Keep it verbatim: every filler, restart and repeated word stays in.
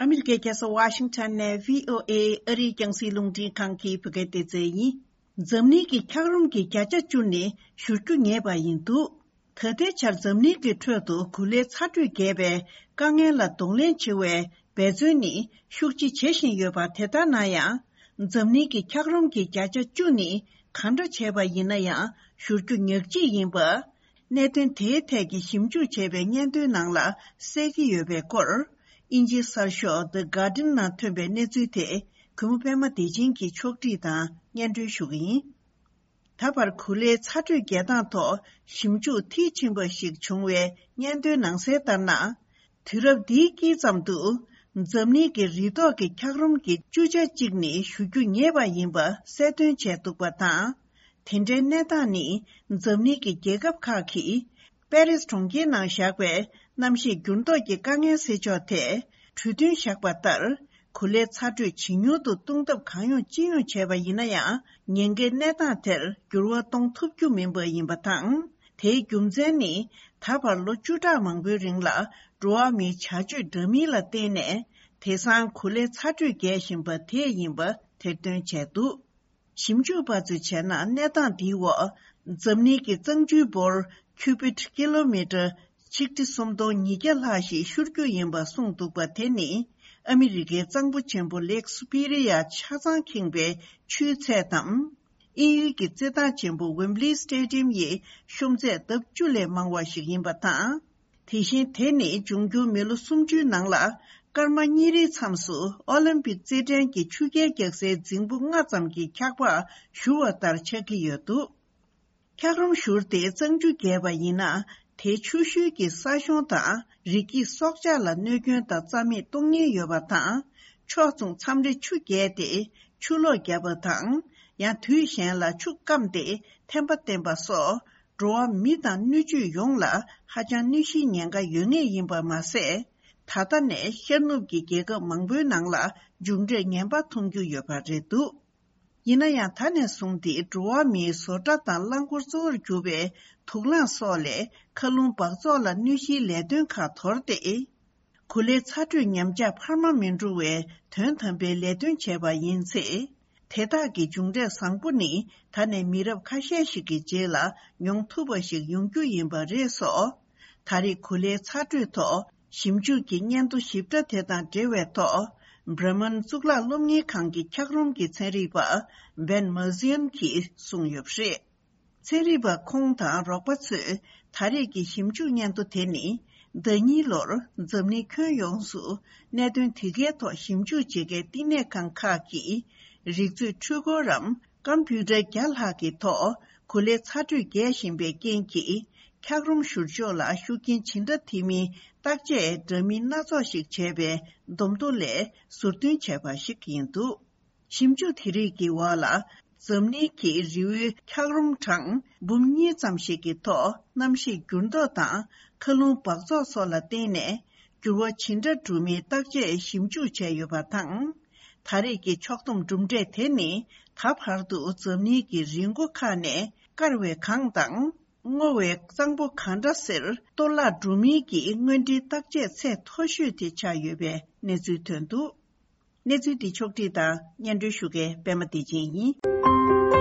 ཨ་མི་རི་ཀའི་རྒྱལ་ས་ཝ་ཤིང་ཊོན་ནས་བྷི་ཨོ་ཨེ་ཨ་རིའི་རྒྱང་སྲིང་རླུང་འཕྲིན་ཁང་གི་བོད་སྐད་སྡེ་ཚན་ཡིན། འཛམ་གླིང་གི་འཁྱགས་རོམ་གྱི་བརྒྱ་ཆ་བཅུ་ནི་བཞུར་རྒྱུ་ངེས་པ་ཡིན་འདུག་ད་ལྟའི་ཆར་འཛམ་གླིང་གི་ཁྲོད་དུ་གོ་ལའི་ཚ་དྲོད་རྒྱས་པའི་དཀའ་ངལ་ལ་གདོང་ལེན་བྱེད་པའི་འབད་བརྩོན་ནི་ཤུགས་ཆེ་བྱེད་བཞིན་ཡོད་པ། དེ་ལྟར་ན་ཡང་། འཛམ་གླིང་གི་འཁྱགས་རོམ་གྱི་བརྒྱ་ཆ་བཅུ་ནི་གང་འདྲ་བྱས་པ་ཡིན་ན་ཡང་བཞུར་རྒྱུ་ཉག་གཅིག་ཡིན་པ། གནད་དོན་དེའི་ཐད་ཀྱི་ཞིབ་འཇུག་བྱས་པའི་སྙན་ཐོའི་ནང་ལ་གསལ་གྱི་ཡོད་པའི་སྐོར། དབྱིན་ཇིའི་གསར་ཤོག་The Guardian ནང་ཐོན་པའི་གནས་ཚུལ་དེ། གུས་མོ་པད་མ་བདེ་ཆེན་གྱིས་ཕྱོགས་སྒྲིག་དང་སྙན་སྒྲོན་ཞུ་གི་ཡིན། ད་བར་གོ་ལའི་ཚ་དྲོད་རྒྱས་སྟངས་ཐོག་ཞིབ་འཇུག་མཐིལ་ཕྱིན་པ་ཞིག་བྱུང་བའི་སྙན་ཐོའི་ནང་གསལ་ལྟར་ན། དུས་རབས་འདིའི་དཀྱིལ་ཙམ་དུ། འཛམ་གླིང་གི་རི་ཐོག་གི་འཁྱགས་རོམ་གྱི་བཅུ་ཆ་གཅིག་ནི་བཞུ་རྒྱུ་ངེས་པ་ཡིན་པ་གསལ་སྟོན་བྱས་འདུག་པ་དང་། དེ་འདྲའི་གནས་སྟངས་ནི། འཛམ་གླིང་གི་རྒྱལ་ཁབ་ཁག་གིས། པེ་རིས་གྲོང་ཁྱེར་ནང་བཞག་པའི་གནམ་གཤིས་འགྱུར་ལྡོག་གི་དཀའ་ངལ་སེལ་ཕྱོགས་ཐད་གྲོས་མཐུན་བཞག་པ་ལྟར། གོ་ལའི་ཚ་དྲོད་ཇེ་ཉུང་དུ་གཏོང་ཐབས་གང་ཡོང་ཅི་ཡོང་བྱས་པ་ཡིན་ན་ཡང་། ཉེན་ཁའི་གནས་སྟངས་དེར་འགྱུར་བ་གཏོང་ཐུབ་རྒྱུ་མིན་པ་ཡིན་པ་དང་། དེའི་རྒྱུ་མཚན་ནི། ད་བར་ལོ་བཅུ་ཕྲག་མང་པོའི་རིང་ལ་འགྲོ་བ་མིའི་བྱ་སྤྱོད་འདྲ་མིན་ལ་བརྟེན་ནས། དེང་སང་གོ་ལའི་ཚ་དྲོད་རྒྱས་བཞིན་པ་དེ་ཡིན་པ་ཐེར་འདོན་བྱས་འདུག་ཞིབ་འཇུག་པ་ཚོས་བྱས་ན། གནས་སྟངས་འདིའི་འོག་འཛམ་གླིང་གི་གཙང་ཆུའི་འབོར་ཁྱུ་བིད་ཀི་ལོ་མི་ཊར་ཆིག་ཁྲི་སུམ་སྟོང་ཉིས་བརྒྱ་ལྷག་ཞིག་ཤོར་རྒྱུ་ཡིན་པ་གསུངས་འདུག་པ། དེ་ནི་ཨ་མི་རི་ཀའི་གཙང་པོ་ཆེན་པོ་ལེག་སུ་པི་རི་ཡ་ཆ་ཚང་ཁེངས་པའི་ཆུའི་ཚད་དམ། དབྱིན་ཡུལ་གྱི་རྩེད་ཐང་ཆེན་པོ་ཝེམ་བྷི་ལི་སི་ཊེ་ཌི་ཡམ་ཡི་ཤོམ་ཚད་ལྡབ་བཅུ་ལས་མང་བ་ཞིག་ཡིན་པ་དང་། དེ་བཞིན་དེ་ནི་འབྱུང་འགྱུར་མི་ལོ་སུམ་ཅུའི་ནང་ལ་སྐར་མ་གཉིས་རེའི་མཚམས་སུ་ཨོ་ལིམ་པིག་རྩེད་འགྲན་གྱི་ཆུ་རྐྱལ་རྒྱག་སའི་རྫིང་བུ་ལྔ་ཙམ་གྱི་འཁྱགས་པ་བཞུར་བ་ལྟར་ཆགས་ཀྱི་ཡོད་འདུག་འཁྱགས་རོམ་བཞུར་ཏེ་གཙང་ཆུ་རྒྱས་པ་ཡིན་ན། དེའི་ཆུ་ཤུལ་གྱི་ས་གཤོང་དང་རི་སྐྱེས་སྲོག་ཆགས་ལ་གནོད་སྐྱོན་དང་རྩ་མེད་གཏོང་ཉེན་ཡོད་པ་དང་། ཕྱོགས་མཚུངས་མཚམས་རེ་ཆུ་རྒྱས་ཏེ་ཆུ་ལོག་བརྒྱབ་པ་དང་། ཡང་དུས་གཞན་ལ་ཆུ་སྐམ་སྟེ་ཐན་པ་བསྟན་པ་སོགས། འགྲོ་བ་མི་དང་སྣོད་བཅུད་ཡོངས་ལ་ཧ་ཅང་གནོད་གཞིའི་ཉེན་ཁ་ཡོད་ངེས་ཡིན་པ་མ་ཟད། ད་ལྟ་ནས་ཤར་ནུབ་ཀྱི་རྒྱལ་ཁབ་མང་པོའི་ནང་ལ་མཇུག་འབྲས་ངན་པ་མཐོང་རྒྱུ་ཡོད་པ་རེད་འདུག་ཡིན་ན་ཡང་ད་ནས་བཟུང་སྟེ་འགྲོ་བ་མིའི་བཟོ་གྲྭ་དང་རླངས་འཁོར་གཙོ་བོར་གྱུར་པའི་དུག་རླངས་སོགས་ལས་མཁའ་རླུང་འབག་བཙོག་ལ་གནོད་གཞིའི་ལས་དོན་ཁག་དོར་ཏེ། གོ་ལའི་ཚ་དྲོད་ཉམས་ཆག་འཕར་མ་མི་འགྲོ་བའི་དོན་དམ་པའི་ལས་དོན་བྱས་པ་ཡིན་ཚེ། དེ་དག་གི་མཇུག་འབྲས་བཟང་པོ་ནི་ད་ནས་མི་རབས་ཁ་ཤས་ཤིག་གི་རྗེས་ལ་མྱོང་ཐུབ་པ་ཞིག་ཡོང་རྒྱུ་ཡིན་པ་རེད་སོ། ད་རེས་གོ་ལའི་ཚ་དྲོད་ཐོག་ཞིབ་འཇུག་གི་སྙན་ཐོ་ཞིབ་ཕྲ་དེ་དང་འབྲེལ་བའི་ཐོག་བྷ་ར་མན་གཙུག་ལག་སློབ་གཉེར་ཁང་གི་འཁྱགས་རོམ་གྱི་ཚན་རིག་པ་བན་མར་ཟིན་གྱིས་གསུངས་ཡོད་པ་རེད། ཚན་རིག་པ་ཁོང་དང་རོགས་པ་ཚོས་ད་རེས་ཀྱི་ཞིབ་འཇུག་སྙན་ཐོ་དེ་ནི། ཟླ་གཉིས་ལོར་འཛམ་གླིང་ཁྱོན་ཡོངས་སུ་གནད་དོན་དེ་གའི་ཐོག་ཞིབ་འཇུག་བྱེད་མཁན་བསྟི་གནས་ཁང་ཁག་གིས། རིག་མཛོད་འཕྲུལ་འཁོར་རམ་ཀམ་པུ་ཊར་བརྒྱ་ལྷག་གི་ཐོག་གོ་ལའི་ཚ་དྲོད་རྒྱས་བཞིན་པའི་རྐྱེན་གྱིས། འཁྱགས་རོམ་བཞུར་ཕྱོགས་ལ་ཤུགས་རྐྱེན་ཇི་འདྲ་ཐེབས་མིན་བརྟག་དཔྱད་འདྲ་མིན་སྣ་ཚོགས་ཤིག་བྱས་པའི་བསྡོམས་ཐོ་ལས་ཟུར་འདོན་བྱས་པ་ཞིག་ཡིན་འདུག་ཞིབ་འཇུག་དེ་རིགས་ཀྱི་འོག་ལ། འཛམ་གླིང་གི་རི་བོའི་འཁྱགས་རོམ་གྲངས་འབུམ་གཉིས་ཙམ་ཞིག་གི་ཐོག་གནམ་གཤིས་འགྱུར་ལྡོག་དང་མཁའ་རླུང་འབག་བཙོག་སོགས་ལ་བརྟེན་ནས་འགྱུར་བ་ཇི་འདྲ་འགྲོ་མིན་བརྟག་དཔྱད་ཞིབ་འཇུག་བྱས་ཡོད་པ་དང་། ད་རེས་ཀྱི་ཕྱོགས་བསྡོམས་གྲུབ་འབྲས་དེ་ནི་ད་བར་དུ་འཛམ་གླིང་གི་རི་མགོ་ཁག་ནས་བསྐལ་བའི་གངས་དང་། སྔོ་བའི་གཙང་པོ་གང་འདྲ་སེར་གཏོར་བརླག་འགྲོ་མིན་གྱི་དངོས་འབྲེལ་བརྟག་དཔྱད་ཚད་མཐོ་ཤོས་དེ་ཆགས་ཡོད་པའི་གནས་ཚུལ་ཐོན་འདུག་གནས་ཚུལ་འདི་ཕྱོགས་སྒྲིག་དང་སྙན་སྒྲོན་ཞུ་མཁན་པད་མ་བདེ་ཆེན་ཡིན།